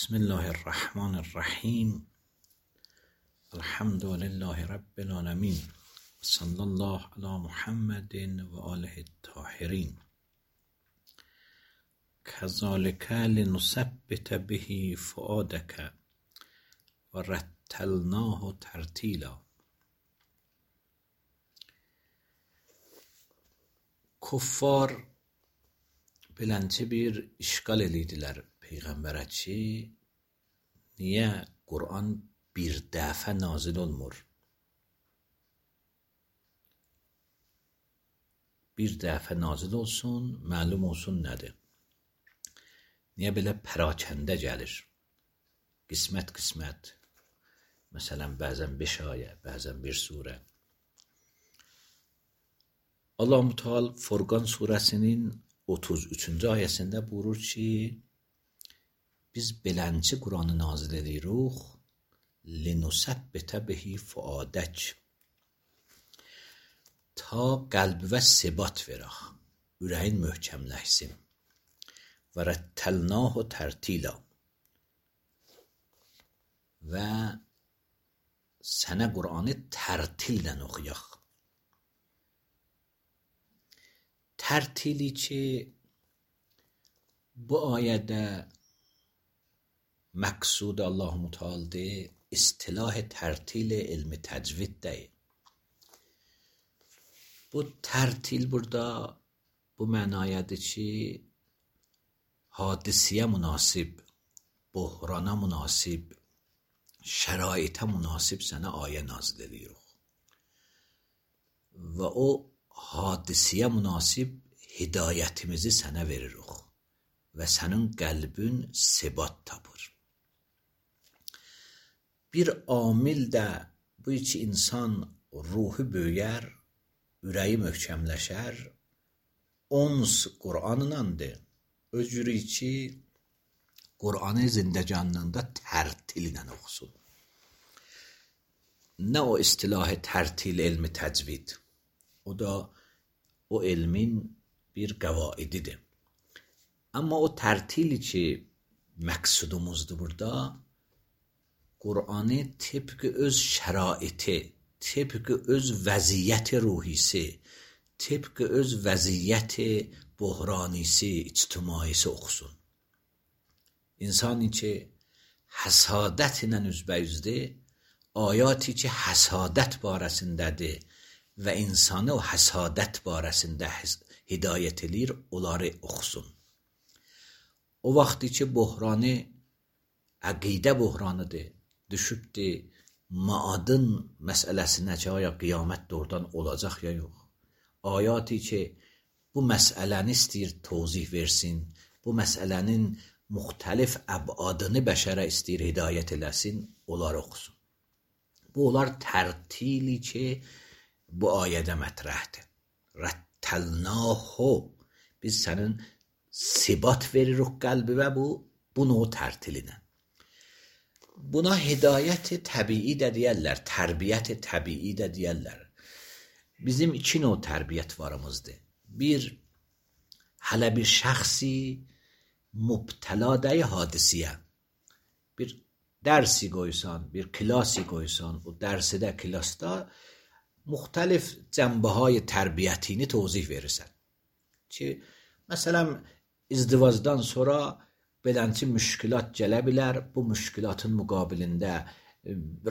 بسم الله الرحمن الرحیم. الحمد لله رب العالمین. صلی الله علی محمد و آله الطاهرین. کذالک لنثبت به فؤادک و رتلناه ترتیلا. Kuffar beləncə bir işgal eləyidilər Peyğəmbərə ki, niyə Qur'an bir dəfə nazil olmur? Bir dəfə nazil olsun, məlum olsun nədir? Niyə belə pərakəndə gəlir? Qismət-qismət. Məsələn, bəzən 5 ayə, bəzən bir surə. Allah-u Teala Furqan surəsinin 33-cü ayəsində buyurur ki, biz beləncə Qur'anı nazil edirik, linusabbitə bihi fuadək, ta qəlbivə sebat verək, ürəyin möhkəmləşsin. Və rəttəlnahu tərtila, və sənə Qur'anı tərtillə oxuyaq. Tərtili ki, bu ayədə məqsud Allah-u Teala'dır, istilah tərtil elmi təcviddir. Bu tərtil burada bu mənayədir ki, hadisiyə münasib, buhrana münasib, şəraitə münasib sənə ayə nazil edirik. Və o hadisiyə münasib hidayətimizi sənə veririk və sənin qəlbin sebat tapır. Bir amil də bu ki, insan ruhu böyüyər, ürəyi möhkəmləşər, ons Qur'anınandır. Özürü ki, Qur'anı zindəcanlığında tərtil ilə oxusun. Nə o istilah tərtil elmi təcvid? O da o elmin bir qəvaididir. Amma o tərtili ki, məqsudumuzdur burada, Qur'anı tıpkı öz şəraiti, tıpkı öz vəziyyəti ruhisi, tıpkı öz vəziyyəti buhranisi, ictimaisi oxusun. İnsanı ki, həsadət ilə üzbəyüzdür, ayati ki, həsadət barəsindədir və insanı o həsadət barəsində hidayət edir, onları oxusun. O vaxtı ki, buhranı əqidə buhranıdır, düşübdür maadın məsələsinə ki, aya qiyamət doğrudan olacaq ya yox. Ayati ki, bu məsələni istəyir tozih versin, bu məsələnin müxtəlif əbadını bəşərə istəyir hidayət eləsin, onları oxusun. Bu, onlar tərtili ki, bu ayədə mətrəhdir. Rəttəlnahu, biz sənin sibat veririk qəlbivə bunu o tərtilinə. Buna hidayət-i təbii də deyərlər, tərbiyyət-i təbii də deyərlər. Bizim iki növ tərbiyyət varımızdır. Bir, hələ bir şəxsi mübtələdəyi hadisiyə, bir dərsi qoysan, bir klasi qoysan, o dərsidə, klasda müxtəlif cənbəhay tərbiyyətini tozih verirsən. Ki, məsələn, izdivacdan sonra beləncə müşkilat gələ bilər, bu müşkilatın müqabilində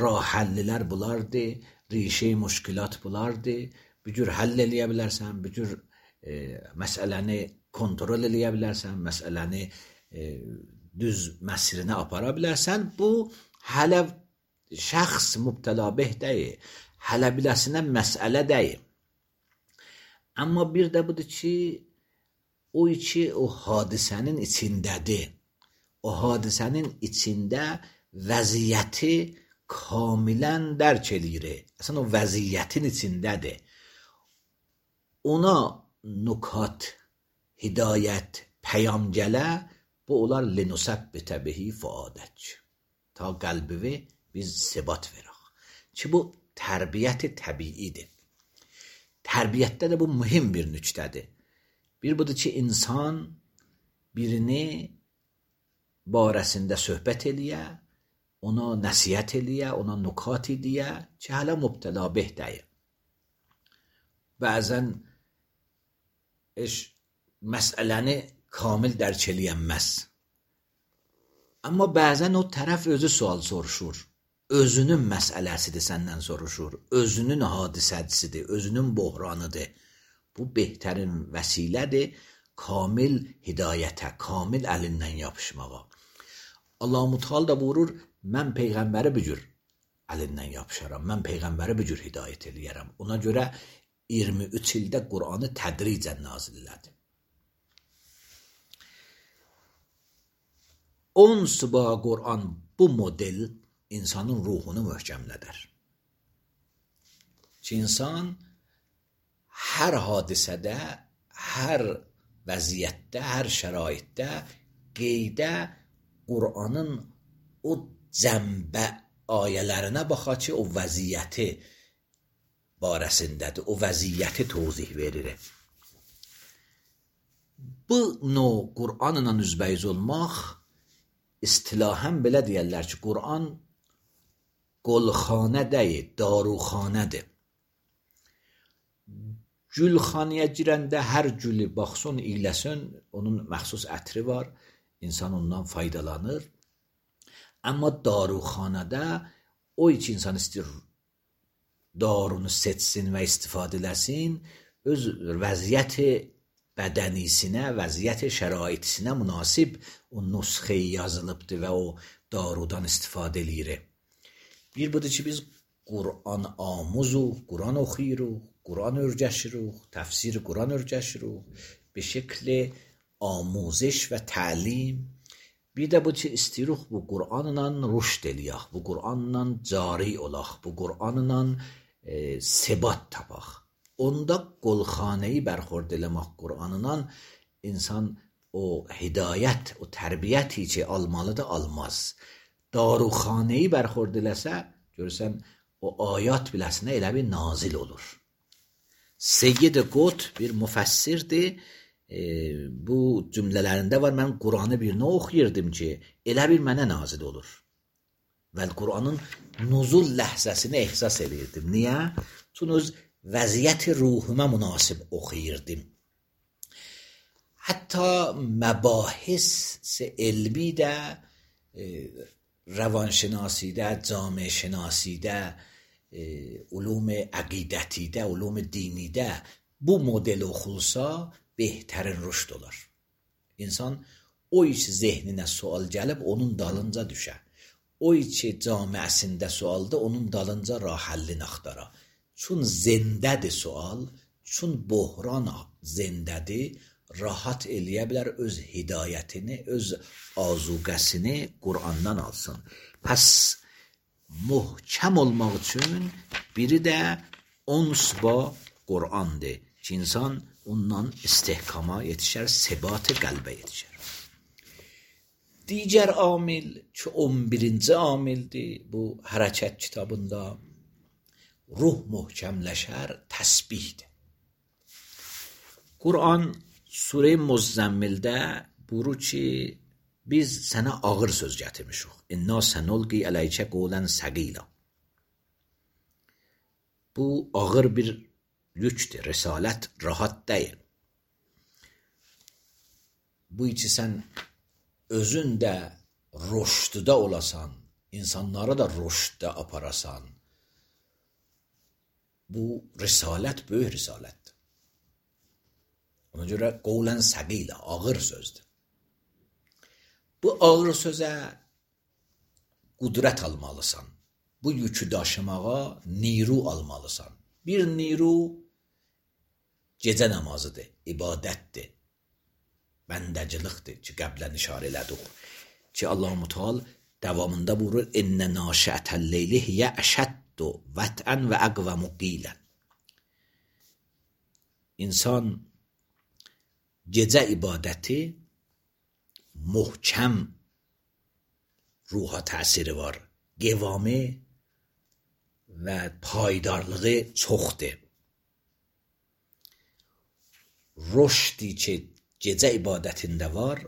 rah-həllilər bulardır, rişə-i müşkilat bulardır, bu cür həll eləyə bilərsən, bu cür məsələni kontrol eləyə bilərsən, məsələni düz məsrinə apara bilərsən, bu hələ şəxs mübtəla beh deyil, hələ biləsinə məsələ deyil. Amma bir də budur ki, o ki, o hadisənin içindədir. O hadisənin içində vəziyyəti kamilən dərk eləyir. Əslən, o vəziyyətin içindədir. Ona nukat, hidayət, pəyam gələ, bu onlar linusabbitə bihi fuadək. Ta qəlbivi biz sebat verək. Ki, bu tərbiyyət-i təbiidir. Tərbiyyətdə də bu mühim bir nüktədir. Bir budur ki, insan birini barəsində söhbət eləyə, ona nəsihət eləyə, ona nukat deyə ki, hələ mübtəla behdəyə. Bəzən məsələni kamil dərk eləyənməz. Amma bəzən o tərəf özü sual soruşur. Özünün məsələsidir səndən soruşur. Özünün hadisəsidir, özünün buhranıdır. Bu behtərin vəsilədir kamil hidayətə, kamil əlindən yapışmağa. Allah-u Teala da buyurur, mən Peyğəmbəri bu cür əlindən yapışaram, mən Peyğəmbəri bu cür hidayət eləyərəm. Ona görə 23 ildə Qur'anı tədricən nazil elədi. 10 sıbağa Qur'an bu model insanın ruhunu möhkəmlədər. Ki, insan hər hadisədə, hər vəziyyətdə, hər şəraitdə qeydə Qur'anın o cəmbə ayələrinə baxa ki, o vəziyyəti barəsindədir, o vəziyyəti tozih verir. Bu növ Qur'anla üzbəyiz olmaq istilahən belə deyərlər ki, Qur'an qolxanə deyil, daruxanədir. Gülxanəyə girəndə hər gülü baxsın, iyləsin, onun məxsus ətri var, insan ondan faydalanır. Amma daruxanədə o iki insan istəyir darunu seçsin və istifadə eləsin, öz vəziyyəti bədənisinə, vəziyyəti şəraitisinə münasib o nüsxəyi yazılıbdır və o darudan istifadə eləyirik. Bir budur ki, biz Qur'an amuzuq, Qur'an oxuyuruq, Qur'an öyrəşiruq, təfsir Qur'an öyrəşiruq, bir şəkli amuzиш və təlim. Bir də bu ki, istəyirik bu Qur'anla rüşd eləyək, bu Qur'anla cari olaq, bu Qur'anla sebat tapaq. Onda qolxanəyi bərxord eləmək Qur'anla insan o hidayət, o tərbiyyəti ki, almalıdır, almaz. Daruxanəyi bərxord eləsə, görürsən, o ayat biləsinə elə bir nazil olur. Seyyid Qut bir müfəssirdir. Bu cümlələrində var, mən Qur'anı birinə oxuyirdim ki, elə bir mənə nazil olur. Və Qur'anın nuzul ləhzəsini ehsas eləyirdim. Niyə? Çünki öz vəziyyəti ruhuma münasib oxuyirdim. Hətta məbahis elmi də, rəvanşinasidə, camiəşinasidə, ulum əqidətidə, ulum dinidə bu model oxulsa behtərin rüşd olar. İnsan o iş zehninə sual gəlib onun dalınca düşər. O içi camiəsində sualda onun dalınca rahallini axtara. Çün zindədir sual, çün bohran zindədir, rahat eləyə bilər öz hidayətini, öz azuqəsini Qur'andan alsın. Pəs muhkəm olmaq üçün biri də 10 sıba Qur'andır ki, insan ondan istehkama yetişər, sebat-ı qəlbə yetişər. Digər amil ki, 11-ci amildir bu hərəkət kitabında, ruh möhkəmləşər, təsbihdir. Qur'an Surə-i Muzzəmmildə buyurur ki, biz sənə ağır söz gətirmişik. İnna sənulqi ələykə qawlan səqila. Bu ağır bir yükdür, risalət rahat deyil. Bu içi sən özün də rüşddə olasan, insanları da rüşddə aparasan. Bu risalət böyük risalətdir. Ona görə qawlan səqila, ağır sözdür. Bu ağır sözə qudrət almalısan. Bu yükü daşımağa niru almalısan. Bir niru gecə namazıdır, ibadətdir, bəndəcilikdir ki, qəblən işarə elədik. Ki, Allah-u Teala davamında buyurur, İnnə naşiətəl-leyli hiyə əşəddu vətən və əqvəmu qilən. İnsan gecə ibadəti möhkəm ruha təsiri var, qevamı və paydarlığı çoxdur. Rüşdi ki, gecə ibadətində var,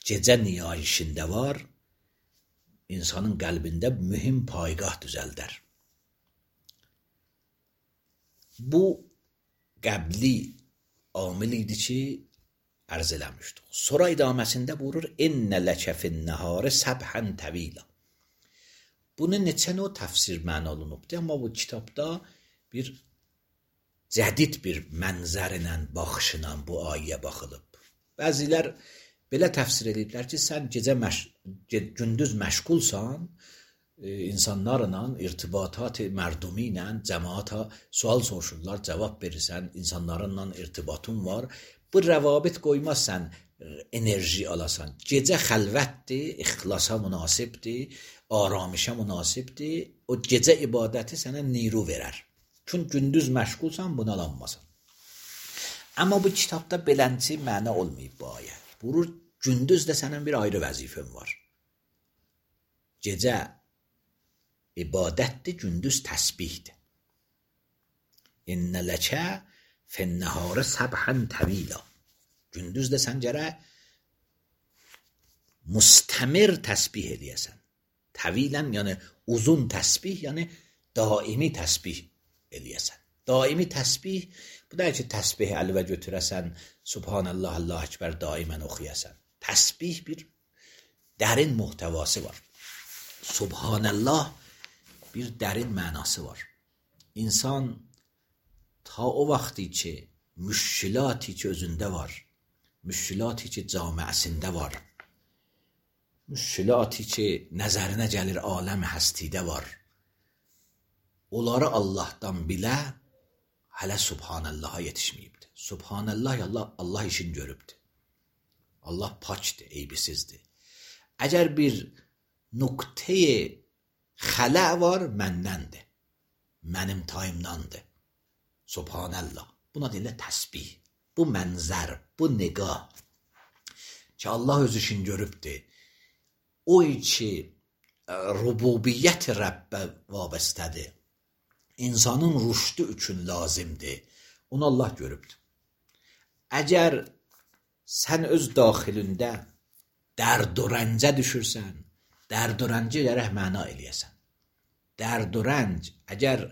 gecə niyayişində var, insanın qəlbində mühüm paygah düzəldər. Bu qəbli amil idi ki, ərz eləmişdik. Sonra idaməsində buyurur, İnnə ləkə finnəhari səbhən təvila. Bunun neçə növ təfsir məna olunubdur, amma bu kitabda bir cədid bir mənzərlə, baxışla bu ayəyə baxılıb. Bəzilər belə təfsir ediblər ki, sən gündüz məşğulsan, insanlarla, irtibatat-ı mərdumi ilə, cəmaata sual soruşurlar, cavab verirsən, insanlarla irtibatın var. Bu rəvabit qoymazsan, enerji alasan. Gecə xəlvətdir, ixlasa münasibdir, aramışa münasibdir. O gecə ibadəti sənə niru verər. Çünki gündüz məşğulsan, buna alanmasan. Amma bu kitabda belənçi məna olmayıb bu ayə. Buyurur, gündüz də sənin bir ayrı vəzifən var. Gecə ibadətdir, gündüz təsbihdir. İnnə ləkə finnəhari səbhən təvila. Gündüz də sən gərək müstəmir təsbih eləyəsən. Təvilən, yəni uzun təsbih, yəni daimi təsbih eləyəsən. Daimi təsbih, bu da ki, təsbih əlvə götürəsən, Subhanallah, Allah Ekber daimən oxuyasən. Təsbih bir dərin muhtəvası var. Subhanallah bir dərin mənası var. İnsan ta o vaxtı ki, müşkilati ki özündə var, müşkilati ki camiəsində var, müşkilati ki nəzərinə gəlir aləm həstidə var, onları Allahdan bilə, hələ Subhanallaha yetişməyibdir. Subhanallah, Allah işini görübdür. Allah pakdır, eybisizdir. Əgər bir nöqtəyi xələ var, məndəndir, mənim tayımdandır. Subhanallah. Buna deyirlər təsbih. Bu mənzər, bu niqah ki, Allah öz işini görübdür. O ki, rububiyyət Rəbbə vabistədir. İnsanın rüşdü üçün lazımdır. Onu Allah görübdür. Əgər sən öz daxilində dərd və rəncə düşürsən, dərd və rəncə gərək məna eləyəsən. Dərd və rənc, əgər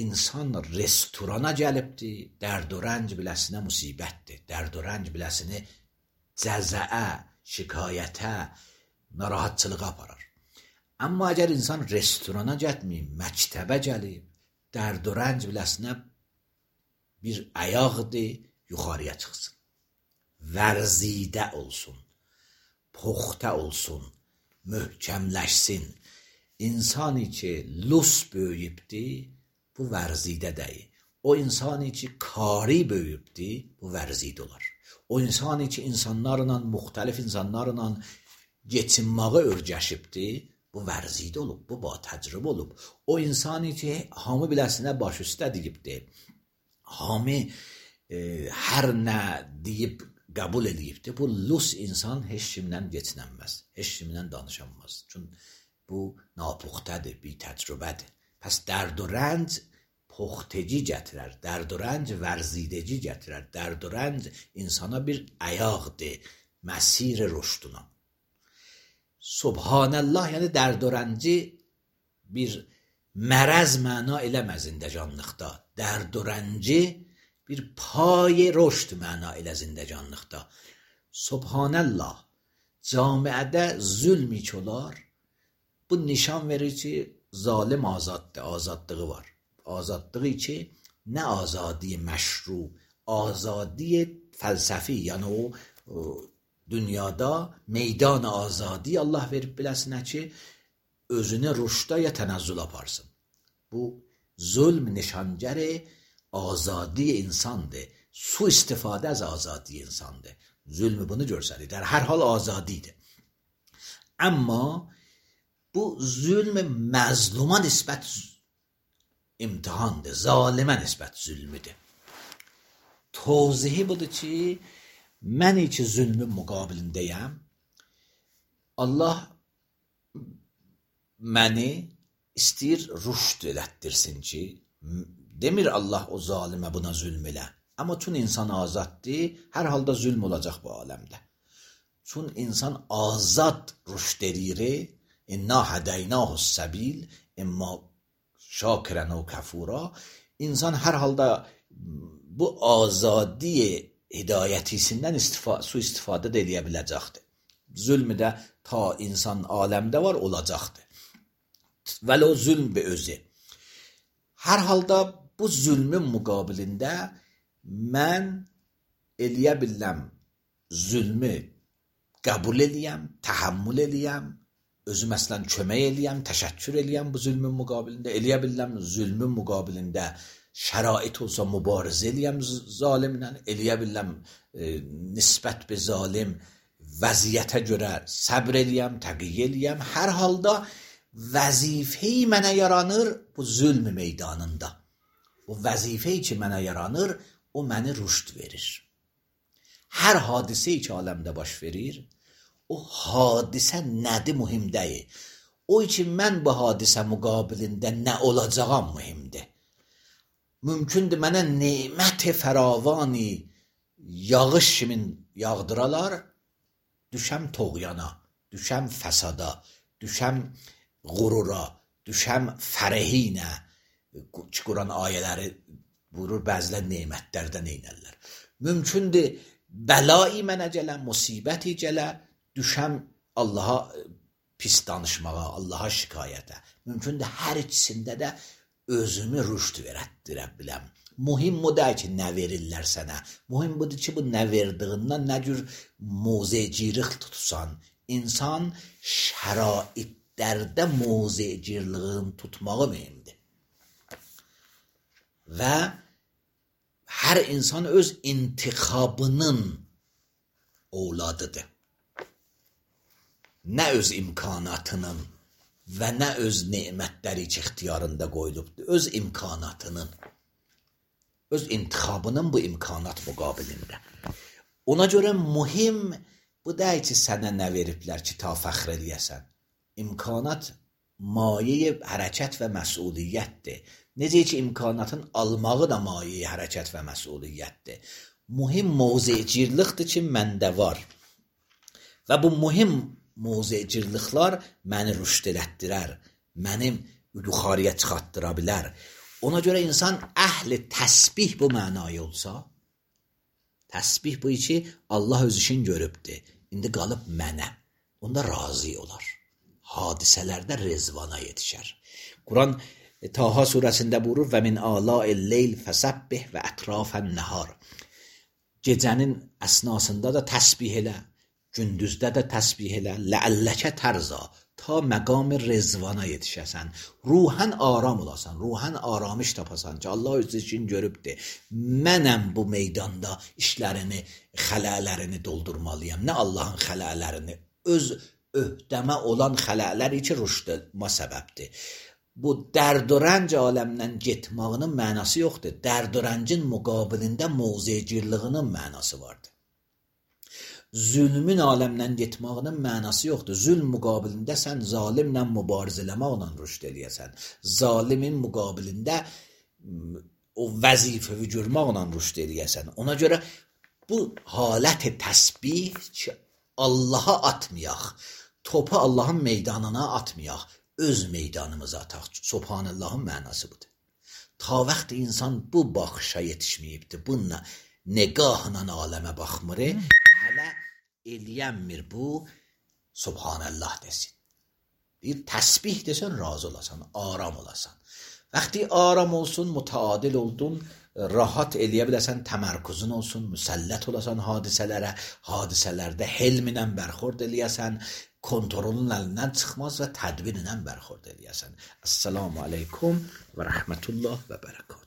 insan restorana gəlibdir, dərd və rənc biləsinə musibətdir. Dərd və rənc biləsini cəzəə, şikayətə, narahatçılığa aparar. Amma əgər insan restorana gəlməyib, məktəbə gəlib, dərd və rənc biləsinə bir ayaqdır, yuxarıya çıxsın. Vərzidə olsun, poxta olsun, möhkəmləşsin. İnsani ki, lus böyüyübdir, bu vərzidə deyil. O insani ki, kari böyüyübdir, bu vərzidə olar. O insani ki, insanlarla, müxtəlif insanlarla geçinməyə örgəşibdir, bu vərzidə olub, bu ba təcrübə olub. O insani ki, hamı biləsinə baş üstə deyibdir, hamı hər nə deyib qəbul edibdir, bu lus insan heç kimlə geçinənməz, heç kimlə danışanmaz. Çünki bu napuxtədir, bir təcrübədir. Pəs dərd və rənc poxteci gətirər, dərd və rənc vərzideci gətirər, dərd və rənc insana bir ayaqdır, məsir rüşduna. Subhanallah, yəni dərd və rənci bir mərəz məna eləməz zindəcanlıqda. Dərd və rənci bir pay rüşd məna elə zindəcanlıqda. Subhanallah, camiədə zülm ki olar, bu nişan verir ki, zalim azaddır, azadlığı var. Azadlığı ki, nə azadi məşru, azadi fəlsəfi, yəni o dünyada meydan azadi Allah verib biləsinə ki, özünü rüşda ya tənəzzül aparsın. Bu zulm nişangəri azadi insandır. Su istifadə az azadi insandır. Zulmü bunu görsəlir. در hər hal azadidir. Amma bu zülm məzluma nisbət imtihandır. Zalimə nisbət zülmüdür. Tavzihi budur ki, mən ki zülmün müqabilindəyəm. Allah məni istəyir rüşd elətdirsin ki, demir Allah o zalimə buna zülm elə. Amma tüm insan azaddır, hər halda zülm olacaq bu aləmdə. Çün insan azad rüşd edir. İnna hadaynahus sabil imma şakiran ve kafura. İnsan hər halda bu azadi hidayətisindən su-istifadə də eləyə biləcəkdir. Zülmü də ta insan aləmdə var, olacaqdır. Vələ o zülm bir özü. Hər halda bu zülmün müqabilində mən eləyə biləm zülmü qəbul eləyəm, təhəmmül eləyəm, özü məsələn kömək eləyəm, təşəkkür eləyəm bu zülmün müqabilində, eləyə biləm zülmün müqabilində şərait olsa mübarizə eləyəm zalimlə, eləyə biləm nisbət bir zalim vəziyyətə görə səbr eləyəm, təqiyyə eləyəm. Hər halda vəzifəyi mənə yaranır bu zülm meydanında. O vəzifəyi ki mənə yaranır, o məni rüşd verir. Hər hadisə ki aləmdə baş verir, o hadisə nədir mühim deyil. O ki mən bu hadisə müqabilində nə olacağam mühimdir. Mümkündür mənə nemət-i fəravani yağış kimi yağdıralar, düşəm toğyana, düşəm fəsada, düşəm qurura, düşəm fərəhinə. Quran ayələri buyurur, bəzilər nemətlərdən eynərlər. Mümkündür bəlayi mənə gələ, musibəti gələ, düşəm Allaha pis danışmağa, Allaha şikayətə. Mümkündür hər ikisində də özümü rüşd verətdirə biləm. Mühim bu deyil ki, nə verirlər sənə. Mühim budur ki, bu nə verdiğindən nə cür muzecilik tutsan. İnsan şəraitlərdə muzeciliğin tutmağı mühimdir. Və hər insan öz intiqabının ovladıdır. Nə öz imkanatının və nə öz nemətləri ki, ixtiyarında qoyulubdur. Öz imkanatının, öz intiqabının bu imkanat müqabilində. Ona görə mühim bu deyil ki, sənə nə veriblər ki, ta fəxr eləyəsən. İmkanat maye hərəkət və məsuliyyətdir. Necə ki, imkanatın almağı da maye hərəkət və məsuliyyətdir. Mühim mövzecirlikdir ki, məndə var. Və bu mühim mövzecirliklər məni rüşd elətdirər, mənim yuxarıya çıxartdıra bilər. Ona görə insan əhli təsbih bu mənaya olsa, təsbih bu ki, Allah öz işin görübdür, indi qalıb mənə, onda razı olar. Hadisələrdə rezvana yetişər. Quran Taha surəsində buyurur, və min ala'il leyl fəsəbbih və ətrafən nəhar. Gecənin əsnasında da təsbih elə, gündüzdə də təsbih elə, ləəlləkə tərza, ta məqam rezvana yetişəsən, ruhən aram olasan, ruhən aramış tapasan ki, Allah öz işin görübdür. Mənəm bu meydanda işlərini, xələlərini doldurmalıyam. Nə Allahın xələlərini, öz öhdəmə olan xələləri ki, rüşdəma səbəbdir. Bu dərd və rənc aləmdən getmağının mənası yoxdur. Dərd və rəncin müqabilində mövzecirliğinin mənası vardır. Zülmün aləmdən getmağının mənası yoxdur. Zülm müqabilində sən zalimlə mübarizə eləməklə rüşd eləyəsən. Zalimin müqabilində o vəzifəvi görməklə rüşd eləyəsən. Ona görə bu halət təsbih ki, Allaha atmayaq, topu Allahın meydanına atmayaq, öz meydanımıza ataq. Subhanallahın mənası budur. Ta vaxt insan bu baxışa yetişməyibdir, bununla negahla aləmə baxmır, hələ eləyənmir bu, Subhanallah desin. Bir təsbih desən, razı olasan, aram olasan. Vaxti aram olsun, mütəadil oldun, rahat eləyə biləsən, təmərkuzun olsun, müsəllət olasan hadisələrə, hadisələrdə helminlə bərxord eləyəsən, kontrolun əlindən çıxmaz və tədbirlə bərxord eləyəsən. Əssalamu aleykum və rəhmətullah və bərəkət.